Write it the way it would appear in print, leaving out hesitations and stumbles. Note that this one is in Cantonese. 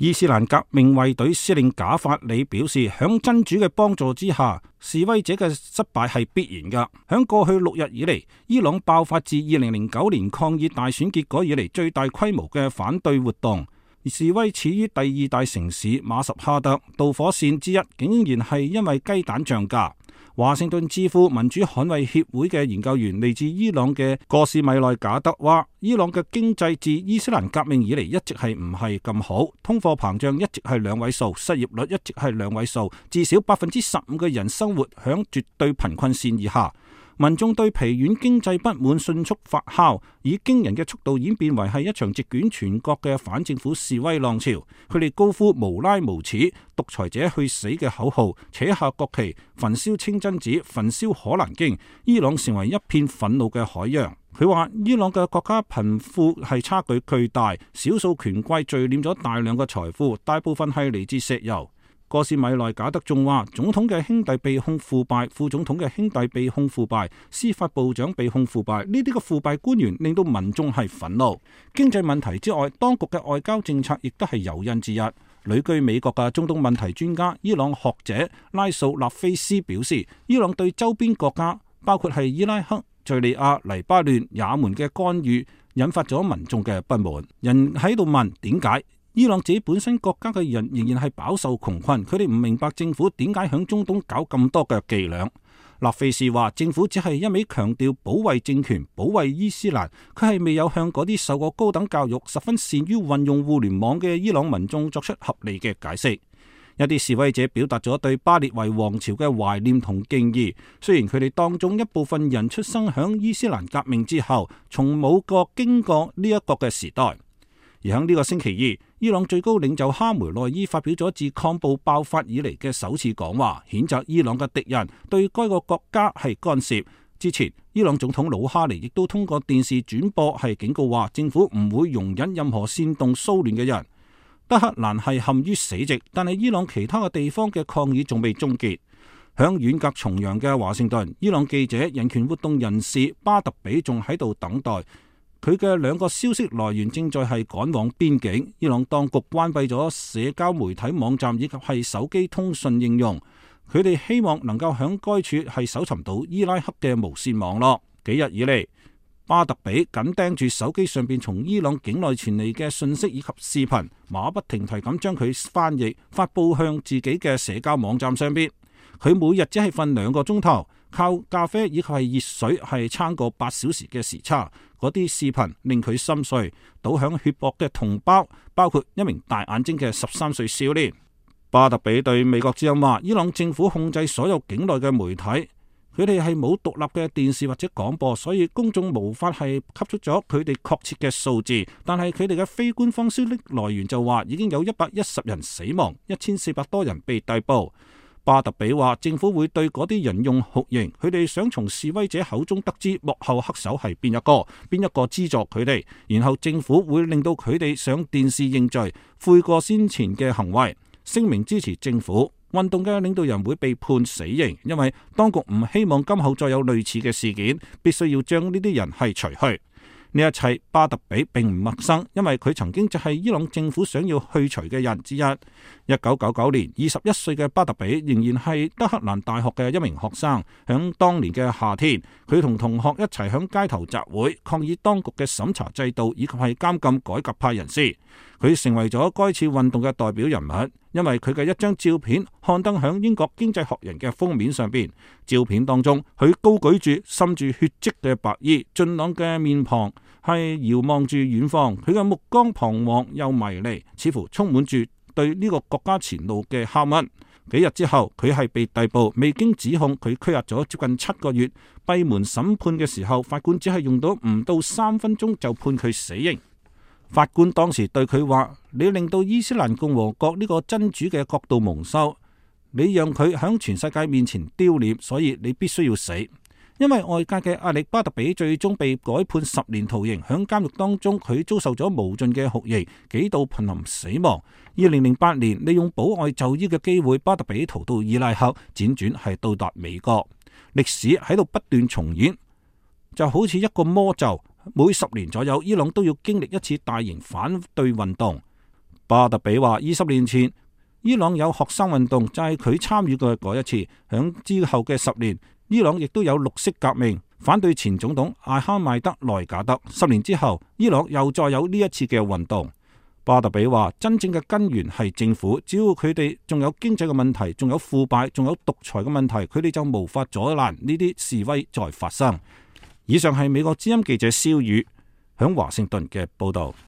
伊斯蘭革命衛隊司令賈法里表示，響真主嘅幫助之下，示威者嘅失敗係必然噶。響過去6日以嚟，伊朗爆發自2009年抗議大選結果以嚟最大規模嘅反對活動。示威始於第2大城市馬什哈德，導火線之一竟然係因為雞蛋漲價。華盛頓智庫民主捍衛協會嘅研究員嚟自伊朗嘅戈士米內賈德話，伊朗嘅經濟自伊斯蘭革命以嚟一直係唔係咁好，通貨膨脹一直係2位數，失業率一直係2位數，至少15%嘅人生活響絕對貧困線以下。民眾對疲軟經濟不滿迅速發酵，以驚人嘅速度演變為係一場席捲全國嘅反政府示威浪潮。佢哋高呼無拉無恥、獨裁者去死嘅口號，扯下國旗，焚燒清真寺，焚燒可蘭經。伊朗成為一片憤怒嘅海洋。佢話伊朗嘅國家貧富係差距巨大，少數權貴聚斂咗大量嘅財富，大部分係嚟自石油。戈士米內賈德仲話，總統嘅兄弟被控腐敗，副總統嘅兄弟被控腐敗，司法部長被控腐敗，呢啲嘅腐敗官員令到民眾係憤怒。經濟問題之外，當局嘅外交政策亦都係誘因之一。旅居美國嘅中東問題專家、伊朗學者拉素納菲斯表示，伊朗對周邊國家，包括係伊拉克、敘利亞、黎巴嫩、也門嘅干預，引發咗民眾嘅不滿。人喺度問點解？伊朗自己本身國家嘅人仍然係飽受窮困，佢哋唔明白政府點解響中東搞咁多嘅伎倆。納菲士話，政府只係一味強調保衛政權、保衛伊斯蘭，佢係未有向嗰啲受過高等教育、十分善於運用互聯網嘅伊朗民眾作出合理嘅解釋。一啲示威者表達咗對巴列維王朝嘅懷念同敬意，雖然佢哋當中一部分人出生響伊斯蘭革命之後，從冇過經過呢一個嘅時代。而喺呢個星期二，伊朗最高領袖哈梅內伊發表咗自抗暴爆發以嚟嘅首次講話，譴責伊朗嘅敵人對該個國家係干涉。之前，伊朗總統魯哈尼亦都通過電視轉播係警告話，政府唔會容忍任何煽動騷亂嘅人。德黑蘭係陷於死寂，但係伊朗其他嘅地方嘅抗議仲未終結。響遠隔重洋嘅華盛頓，伊朗記者、人權活動人士巴特比仲喺度等待。佢嘅2個消息來源正在係趕往邊境。伊朗當局關閉咗社交媒體網站以及係手機通訊應用。佢哋希望能夠響該處係搜尋到伊拉克嘅無線網絡。幾日以嚟，巴特比緊盯住手機上邊從伊朗境內傳嚟嘅信息以及視頻，馬不停蹄咁將佢翻譯發佈向自己嘅社交網站上邊。佢每日只係瞓2個鐘頭，靠咖啡以及係熱水係撐過8小時嘅時差。嗰啲視頻令佢心碎，倒響血泊嘅同胞包括一名大眼睛嘅13歲少年。巴特比對美國之音話，伊朗政府控制所有境內嘅媒體，佢哋係冇獨立嘅電視或者廣播，所以公眾無法係吸出咗佢哋確切嘅數字。但係佢哋嘅非官方消息來源就話，已經有110人死亡，1400多人被逮捕。巴特比話，政府會對嗰啲人用酷刑，佢哋想從示威者口中得知幕後黑手係邊一個資助佢哋，然後政府會令到佢哋上電視認罪，悔過先前嘅行為，聲明支持政府。運動嘅領導人會被判死刑，因為當局唔希望今後再有類似嘅事件，必須要將呢啲人係除去。呢一切巴特比並唔陌生，因為佢曾經就係伊朗政府想要去除嘅人之一。1999年，21歲嘅巴特比仍然係德黑蘭大學嘅一名學生。響當年嘅夏天，佢同同學一齊響街頭集會，抗議當局嘅審查制度以及係監禁改革派人士。佢成為咗該次運動嘅代表人物，因為佢嘅一張照片刊登響英國經濟學人嘅封面上邊。照片當中，佢高舉住滲住血跡嘅白衣，俊朗嘅面龐係遙望住遠方，佢嘅目光彷徨又迷離，似乎充滿住對呢個國家前路嘅拷問。幾日之後，佢係被逮捕，未經指控，佢拘押咗接近7個月。閉門審判嘅時候，法官只係用到唔到3分鐘就判佢死刑。法官當時對佢話：你令到伊斯蘭共和國呢個真主嘅國度蒙羞，你讓佢響全世界面前丟臉，所以你必須要死。因為外界嘅壓力，巴特比最終被改判10年徒刑。響監獄當中，佢遭受咗無盡嘅酷刑，幾度瀕臨死亡。2008年，利用保外就醫嘅機會，巴特比逃到伊拉克，輾轉係到達美國。歷史喺度不斷重演，就好似一個魔咒。每10年左右，伊朗都要經歷一次大型反對運動。巴特比話：20年前伊朗有學生運動，就係佢參與嘅嗰一次。響之後嘅10年，伊朗亦都有綠色革命，反對前總統艾哈邁德內賈德。10年之後，伊朗又再有呢一次嘅運動。巴特比話：真正嘅根源係政府，只要佢哋仲有經濟嘅問題，仲有腐敗，仲有獨裁嘅問題，佢哋就無法阻攔呢啲示威再發生。以上係美國之音記者蕭宇響華盛頓嘅報道。